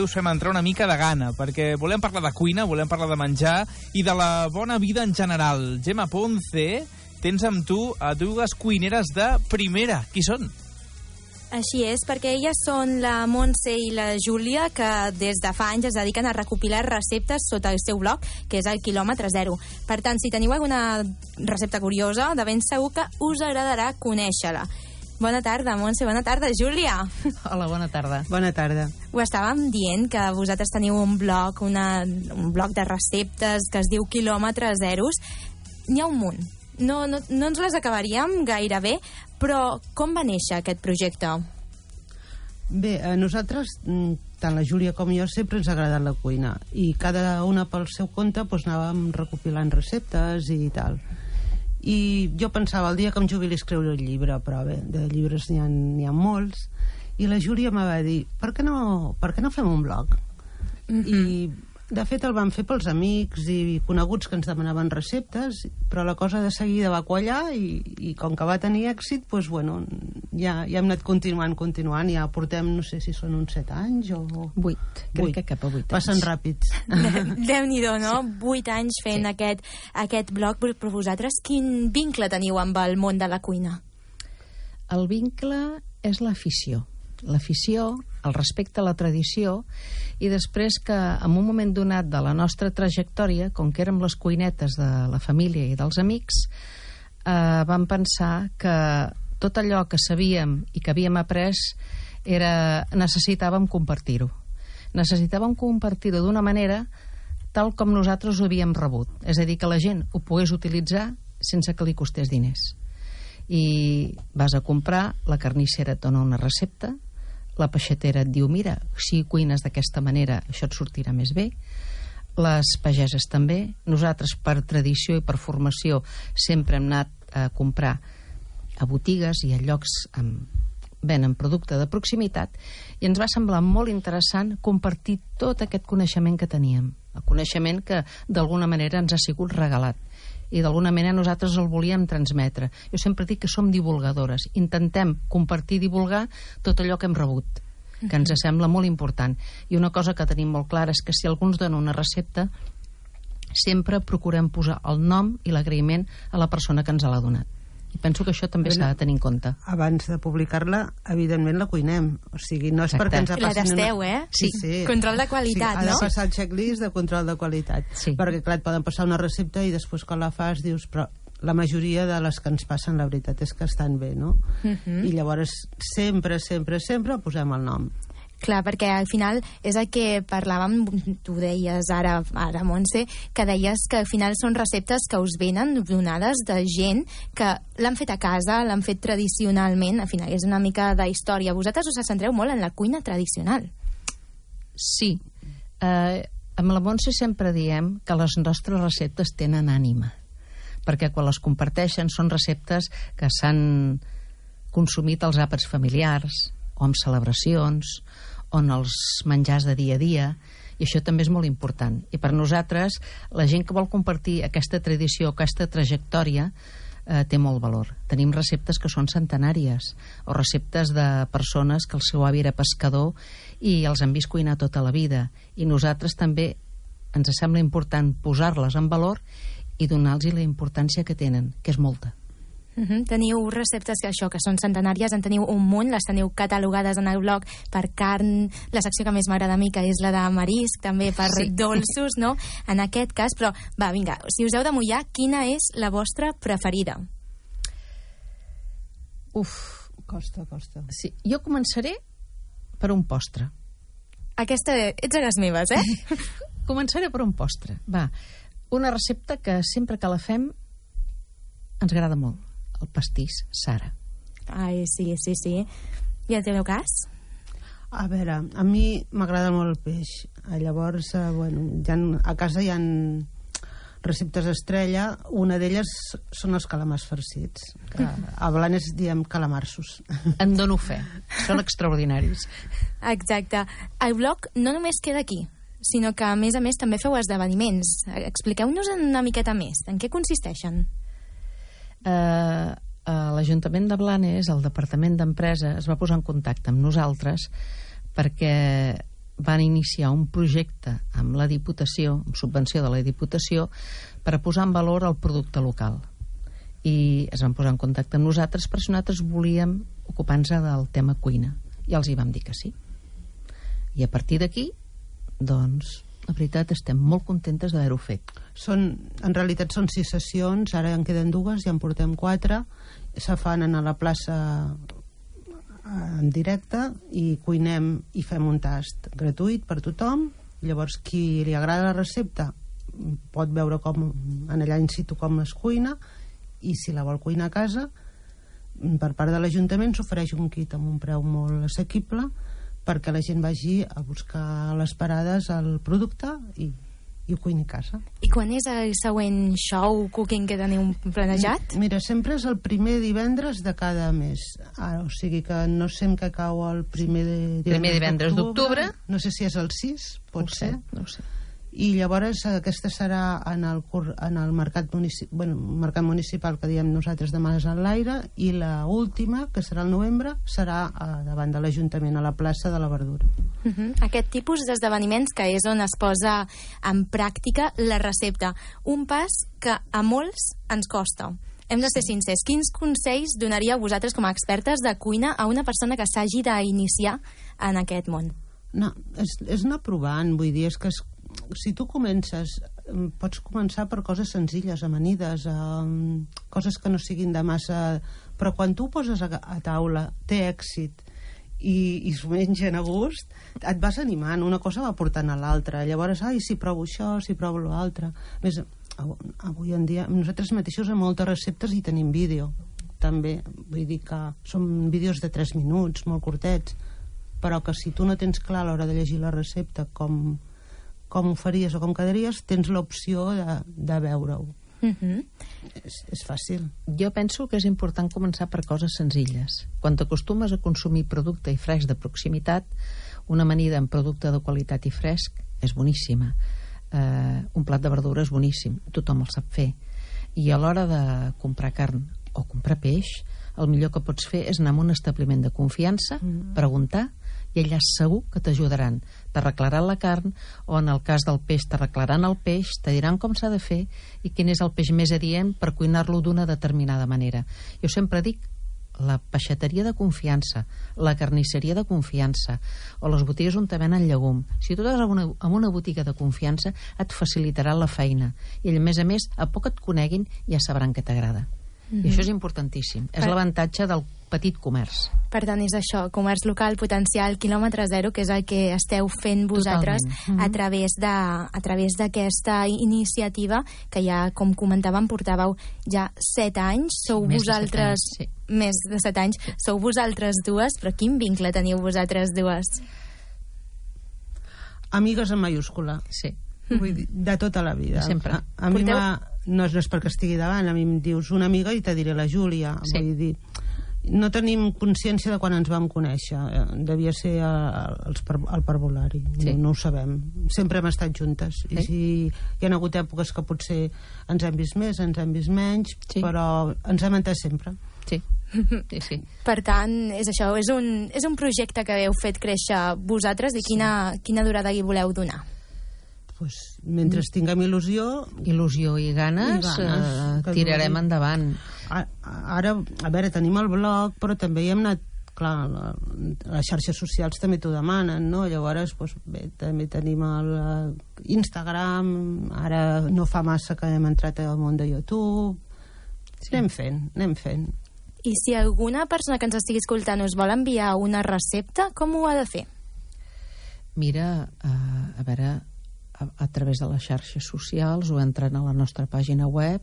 us fem entrar una mica de gana, perquè volem parlar de cuina, volem parlar de menjar i de la bona vida en general. Gemma Ponce, tens amb tu a dues cuineres de primera. Qui són? Així és, perquè elles són la Montse i la Júlia, que des de fa anys es dediquen a recopilar receptes sota el seu blog, que és el quilòmetre zero. Per tant, si teniu alguna recepta curiosa, de ben segur que us agradarà conèixer-la. Bona tarda, Montse. Bona tarda, Júlia. Hola, bona tarda. Bona tarda. Ho estàvem dient, que vosaltres teniu un blog, un blog de receptes que es diu Quilòmetres Zeros. N'hi ha un munt. No ens les acabaríem gaire bé, però com va néixer aquest projecte? Bé, a nosaltres, tant la Júlia com jo, sempre ens ha agradat la cuina. I cada una pel seu compte anàvem recopilant receptes i tal. I jo pensava, el dia que em jubili escriure un llibre, però bé, de llibres n'hi ha molts, i la Júlia em va dir, per què no fem un blog? I de fet el vam fer pels amics i coneguts que ens demanaven receptes, però la cosa de seguida va quallar i com que va tenir èxit, doncs, bueno, ja hem anat continuant, ja portem, no sé si són uns 7 anys o... 8, crec que cap a 8 anys. Passen ràpids. Déu-n'hi-do, no? 8 anys fent aquest blog, però vosaltres quin vincle teniu amb el món de la cuina? El vincle és l'afició, el respecte a la tradició, i després que en un moment donat de la nostra trajectòria, com que érem les cuinetes de la família i dels amics, vam pensar que tot allò que sabíem i que havíem après necessitàvem compartir-ho. Necessitàvem compartir-ho d'una manera tal com nosaltres ho havíem rebut. És a dir, que la gent ho pogués utilitzar sense que li costés diners. I vas a comprar, la carnissera et dona una recepta, la peixatera et diu, mira, si cuines d'aquesta manera això et sortirà més bé, les pageses també. Nosaltres, per tradició i per formació, sempre hem anat a comprar a botigues i a llocs venen producte de proximitat, i ens va semblar molt interessant compartir tot aquest coneixement que teníem, el coneixement que d'alguna manera ens ha sigut regalat i d'alguna manera nosaltres el volíem transmetre. Jo sempre dic que som divulgadores, intentem compartir i divulgar tot allò que hem rebut, que ens sembla molt important. I una cosa que tenim molt clara és que si algú ens dona una recepta, sempre procurem posar el nom i l'agraïment a la persona que ens l'ha donat. I penso que això també s'ha de tenir en compte. Abans de publicar-la, evidentment la cuinem. O sigui, no és perquè ens la tasteu, Sí. Control de qualitat, no? Ha de no? passar el checklist de control de qualitat. Sí. Perquè, clar, et poden passar una recepta i després quan la fas dius, però la majoria de les que ens passen, la veritat és que estan bé, no? I llavors sempre posem el nom. Clar, perquè al final és el que parlàvem, tu deies ara Montse, que deies que al final són receptes que us venen donades de gent que l'han fet a casa, l'han fet tradicionalment, al final és una mica de història. Vosaltres us centreu molt en la cuina tradicional. Sí. Amb la Montse sempre diem que les nostres receptes tenen ànima, perquè quan les comparteixen són receptes que s'han consumit als àpats familiars o en celebracions o en els menjars de dia a dia, i això també és molt important. I per nosaltres, la gent que vol compartir aquesta tradició, aquesta trajectòria, té molt valor. Tenim receptes que són centenàries, o receptes de persones que el seu avi era pescador i els han vist cuinar tota la vida. I nosaltres també ens sembla important posar-les en valor i donar-los la importància que tenen, que és molta. Teniu receptes que són centenàries, en teniu un munt, les teniu catalogades en el blog per carn, la secció que més m'agrada a mi, que és la de marisc, també per dolços, no? En aquest cas, però va, vinga, si us heu de mullar, quina és la vostra preferida? Costa. Sí, jo començaré per un postre. Aquesta, ets a les meves, eh? Començaré per un postre. Va, una recepta que sempre que la fem ens agrada molt. El pastís Sara. Ai, sí. I el teu cas? A veure, a mi m'agrada molt el peix. Llavors, a casa hi ha receptes estrella. Una d'elles són els calamars farcits. Que a Blanes diem calamarsos. En dono fe. Són extraordinaris. Exacte. El blog no només queda aquí, sinó que, a més també feu esdeveniments. Expliqueu-nos una miqueta més. En què consisteixen? L'Ajuntament de Blanes, el Departament d'Empresa, es va posar en contacte amb nosaltres perquè van iniciar un projecte amb la Diputació, amb subvenció de la Diputació, per posar en valor el producte local. I es van posar en contacte amb nosaltres perquè nosaltres volíem ocupar-nos del tema cuina. I els hi vam dir que sí. I a partir d'aquí, doncs, la veritat, estem molt contentes d'haver-ho fet. En realitat són 6 sessions, ara en queden 2, ja en portem 4. Se fan a la plaça en directe i cuinem i fem un tast gratuït per tothom. Llavors, qui li agrada la recepta pot veure com en allà in situ com es cuina, i si la vol cuinar a casa, per part de l'Ajuntament s'ofereix un kit amb un preu molt assequible perquè la gent vagi a buscar a les parades el producte i ho cuini a casa. I quan és el següent show cooking que teniu planejat? Mira, sempre és el primer divendres de cada mes. O sigui que no sé en què cau el primer divendres d'octubre. No sé si és el 6, pot ser. No ho sé. I llavors aquesta serà en el mercat municipal que diem nosaltres de Mas en l'Aire, i la última, que serà el novembre, serà davant de l'Ajuntament, a la plaça de la Verdura. Aquest tipus d'esdeveniments que és on es posa en pràctica la recepta, un pas que a molts ens costa. Hem de ser sincers. Quins consells donaríeu vosaltres com a expertes de cuina a una persona que s'hagi d'iniciar en aquest món? No, és anar provant, vull dir, és que si tu comences, pots començar per coses senzilles, amanides, coses que no siguin de massa, però quan tu poses a taula, té èxit i s'ho mengen a gust, et vas animant, una cosa va portant a l'altra. Llavors, si provo això, si provo l'altre. Més, avui en dia nosaltres mateixos en moltes receptes hi tenim vídeo també, vull dir que són vídeos de 3 minuts, molt curtets, però que si tu no tens clar a l'hora de llegir la recepta com ho faries o com quedaries, tens l'opció de veure-ho. És fàcil. Jo penso que és important començar per coses senzilles. Quan t'acostumes a consumir producte i fresc de proximitat, una amanida amb producte de qualitat i fresc és boníssima. Un plat de verdura és boníssim, tothom el sap fer. I a l'hora de comprar carn o comprar peix, el millor que pots fer és anar a un establiment de confiança, preguntar, i allà segur que t'ajudaran. T'arreglaran la carn, o en el cas del peix t'arreglaran el peix, te diran com s'ha de fer i quin és el peix més adient per cuinar-lo d'una determinada manera. Jo sempre dic, la peixateria de confiança, la carnisseria de confiança, o les botigues on te venen llegum. Si tu vas a una botiga de confiança, et facilitarà la feina. I a més, a poc et coneguin, ja sabran què t'agrada. I això és importantíssim. És l'avantatge del petit comerç. Per tant, és això, comerç local, potencial, quilòmetre zero, que és el que esteu fent vosaltres a través d'aquesta iniciativa que ja, com comentàvem, portàveu ja 7 anys. Sou vosaltres... Més de 7 anys. Sou vosaltres dues, però quin vincle teniu vosaltres dues? Amigues en mayúscula. Sí. Vull dir, de tota la vida. Sempre. A mi no és perquè estigui davant, a mi em dius una amiga i te diré la Júlia. Sí. Vull dir, no tenim consciència de quan ens vam conèixer. Devia ser al parvulari. Sí. No ho sabem. Sempre hem estat juntes. Sí. I si hi ha hagut èpoques que potser ens hem vist més, ens hem vist menys, però ens hem entès sempre. Sí. Sí. Per tant, és això, és un projecte que heu fet créixer vosaltres i quina durada hi voleu donar? Pues, mentre tinguem il·lusió i ganes, tirarem endavant. Ara, a veure, tenim el blog, però també hi hem anat, clar, les xarxes socials també t'ho demanen, no? Llavors, pues, bé, també tenim l'Instagram, ara no fa massa que hem entrat al món de YouTube. Anem fent. I si alguna persona que ens estigui escoltant us vol enviar una recepta, com ho ha de fer? Mira, a veure, a través de les xarxes socials o entrant a la nostra pàgina web,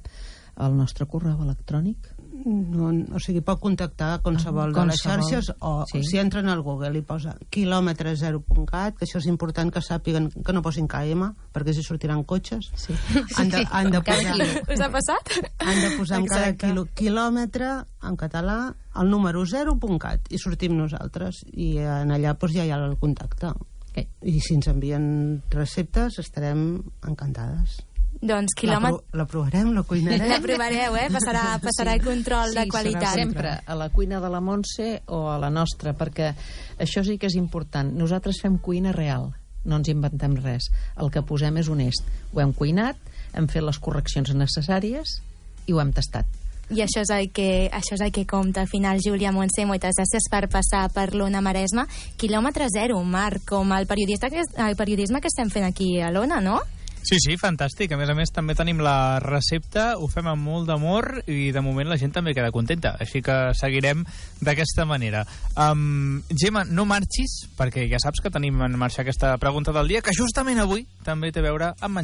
al nostre correu electrònic. No, o sigui, pot contactar qualsevol de les xarxes o si entren al Google i posa quilòmetre0.cat, que això és important que sàpiguen que no posin KM, perquè si sortiran cotxes. Sí. Han de posar... Us ha passat? Han de posar en cada quilòmetre, en català, el número 0.cat, i sortim nosaltres, i en allà doncs, ja hi ha el contacte. I si ens envien receptes estarem encantades. Doncs la provarem, la cuinarem. La provareu, passarà el control de qualitat. Sempre a la cuina de la Montse o a la nostra, perquè això sí que és important. Nosaltres fem cuina real, no ens inventem res. El que posem és honest. Ho hem cuinat, hem fet les correccions necessàries i ho hem tastat. I això és el que compta. Al final, Júlia, Montse, moltes gràcies per passar per l'Ona Maresme. Quilòmetre zero, Marc, com el periodisme que estem fent aquí a l'Ona, no? Sí, fantàstic. A més, també tenim la recepta, ho fem amb molt d'amor i de moment la gent també queda contenta. Així que seguirem d'aquesta manera. Gemma, no marxis, perquè ja saps que tenim en marxa aquesta pregunta del dia, que justament avui també té a veure amb menjar.